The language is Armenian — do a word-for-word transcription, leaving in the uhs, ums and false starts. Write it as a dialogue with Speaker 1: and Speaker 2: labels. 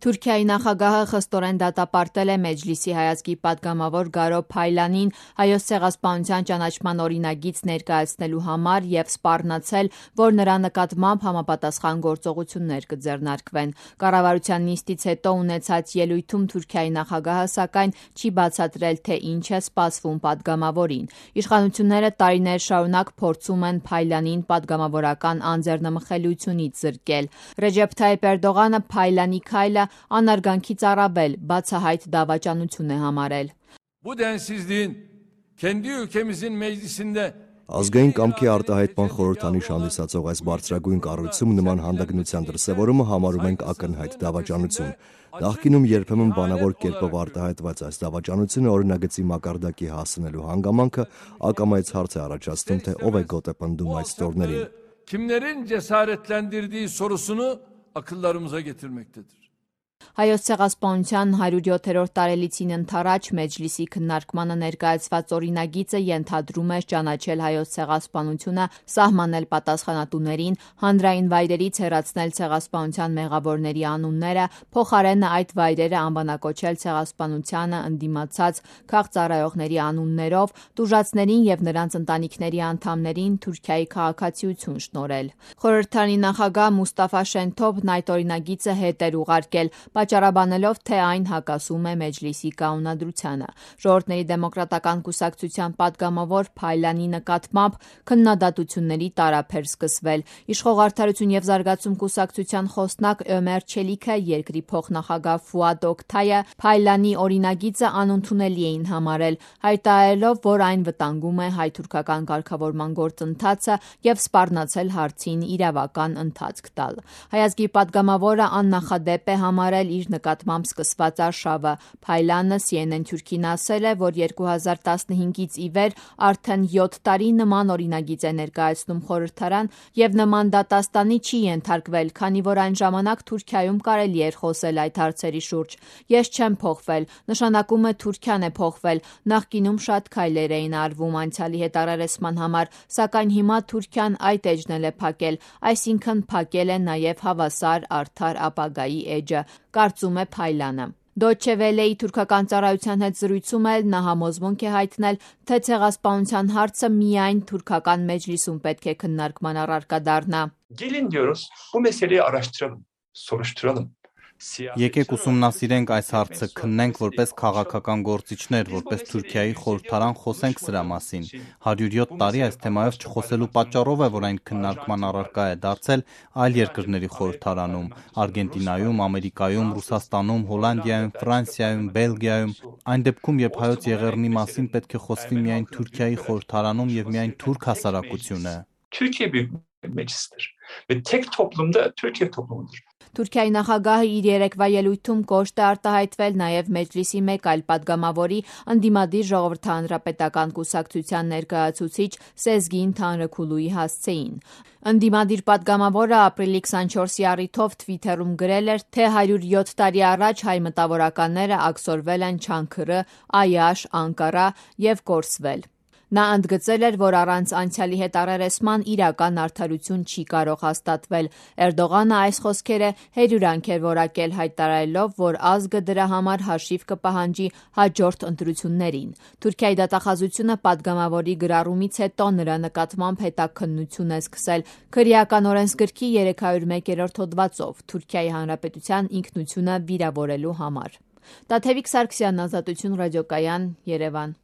Speaker 1: Թուրքիայի նախագահը խստորեն դատապարտել է Մեջլիսի հայազգի պատգամավոր Գարո Փայլանին Հայոց ցեղասպանության ճանաչման օրինագիծ ներկայացնելու համար և սպառնացել, որ նրա նկատմամբ համապատասխան գործողություններ կձեռնարկվեն։ Կառավարության նիստից հետո ունեցած ելույթում Թուրքիայի նախագահը սակայն չի բացատրել, թե ինչ է սպասվում պատգամավորին։ Իշխանությունները տարիներ շարունակ փորձում են Փայլանին պատգամավորական անձեռնմխելիությունից զրկել։ Ռեջեփ Թայիփ Էրդողանը Փայլանի քայլը անարգանքից առավել բացահայտ դավաճանություն է համարել։
Speaker 2: Bu densizliğin kendi ülkemizin meclisinde
Speaker 3: Ազգային կամքի արտահայտման խորհրդանիշ հանդիսացող այս բարձրագույն կառույցում նման հանդգնության դրսևորումը համարում ենք ակնհայտ դավաճանություն։ Նախկինում երբեմն բանավոր կերպով արտահայտված այս դավաճանությունը օրինագծի մակարդակի հասնելու հանգամանքը ակամայից հարց է առաջացնում, թե ով է գոտե պնդում այս ստորներին։
Speaker 2: Kimlerin cesaretlendirdiği sorusunu akıllarımıza getirmektedir.
Speaker 1: Հայոց ցեղասպանության հարյուրյոթերորդ տարելիցին ընթառաջ Մեջլիսի քննարկմանը ներկայացված օրինագիծը ենթադրում է ճանաչել հայոց ցեղասպանությունը, սահմանել պատասխանատուներին, հանրային վայրերից հեռացնել ցեղասպանության մեղավորների անունները, փոխարենը այդ վայրերը անվանակոչել ցեղասպանությանը ընդդիմացած քաղծառայողների անուններով, տուժածներին և նրանց ընտանիքների անդամներին Թուրքիայի քաղաքացիություն շնորհել։ Խորհրդարանի նախագահ Մուստաֆա Շենթոփն այդ օրինագիծը հետ էր ուղարկել, պատճառաբանելով, թե այն հակասում է Մեջլիսի կանոնադրությանը։ Ժողովուրդների դեմոկրատական կուսակցության պատգամավոր Փայլանի նկատմամբ քննադատությունների տարափ էր սկսվել։ Իշխող Արդարություն և զարգացում կուսակցության խոսնակ Ömer Çelikը, երկրի փոխնախագահ Ֆուադ Օքթայը Փայլանի օրինագիծը անընդունելի էին համարել, հայտարարելով, որ այն վտանգում է հայ-թուրքական կարգավորման գործընթացը և սպառնացել հարցին իրավական ընթացք տալ։ Հայազգի պատգամավորը աննախադեպ է համարել իր նկատմամբ սկսված արշավը։ Փայլանը C N N Թուրքին ասել է, որ երկու հազար տասնհինգից ի վեր արդեն յոթ տարի նման օրինագիծ է ներկայացնում խորհրդարան և նման դատաստանի չի ենթարկվել, քանի որ այն ժամանակ Թուրքիայում կարելի էր խոսել այդ հարցերի շուրջ։ Ես չեմ փոխվել, նշանակում է Թուրքիան է փոխվել, նախկինում շատ քայլեր էին արվում անցյալի հետ առերեսման համար, սակայն հիմա Թուրքիան այդ էջն էլ է փակել, այսինքն փակել է նաև հավասար արդար ապագայի էջը, կարծում է Փայլանը։ Դոյչե Վելեի թուրքական ծառայության հետ զրույցում էլ նա համոզմունք է հայտնել, թե ցեղասպանության հարցը միայն թուրքական մեջլիսում պետք է քննարկման առարկա դառնա։
Speaker 4: Gelin diyoruz, bu meseleyi araştıralım, soruşturalım.
Speaker 5: Եկեք ուսումնասիրենք այս հարցը, քննենք որպես քաղաքական գործիչներ, որպես Թուրքիայի խորհրդարան խոսենք սրա մասին։ հարյուրյոթ տարի այս թեմայով չխոսելու պատճառով է, որ այն քննարկման առարկա է դարձել այլ երկրների խորհրդարանում՝ Արգենտինայում, Ամերիկայում, Ռուսաստանում, Հոլանդիայում, Ֆրանսիայում, Բելգիայում։ Այն դեպքում, երբ հայոց եղեռնի մասին պետք է խոսվի միայն Թուրքիայի խորհրդարանում և միայն թուրք հասարակությունը։
Speaker 4: Türkiye Büyük Meclisi'dir ve tek toplumda Türkiye toplumudur.
Speaker 1: Թուրքիայի նախագահը իր երեկվա ելույթում կոշտ է արտահայտվել նաև Մեջլիսի մեկ այլ պատգամավորի ընդդիմադիր ժողովրդահանրապետական կուսակցության ներկայացուցիչ Սեզգին Թանրաքուլուի հասցեին։ Ընդդիմադիր պատգամավորը ապրիլի քսանչորսի առիթով Թվիթերում գրել էր, թե հարյուրյոթ տարի առաջ հայ մտավորականները աքսորվել են Չանքըրը, Այաշ, Անկարա և կորսվել։ Նա ընդգծել էր, որ առանց անցյալի հետ առերեսման իրական արդարություն չի կարող հաստատվել։ Էրդողանը այս խոսքերը հերյուրանք էր որակել, հայտարարելով, որ ազգը դրա համար հաշիվ կպահանջի հաջորդ ընտրություններին։ Թուրքիայի դատախազությունը պատգամավորի գրառումից հետո նրա նկատմամբ հետաքննություն է սկսել քրեական օրենսգրքի երեք հարյուր մեկերորդ հոդվածով Թուրքիայի Հանրապետության ինքնությունը վիրավորելու համար։ Տաթևիկ Սարգսյան, Ազատություն ռադիոկայան, Երևան։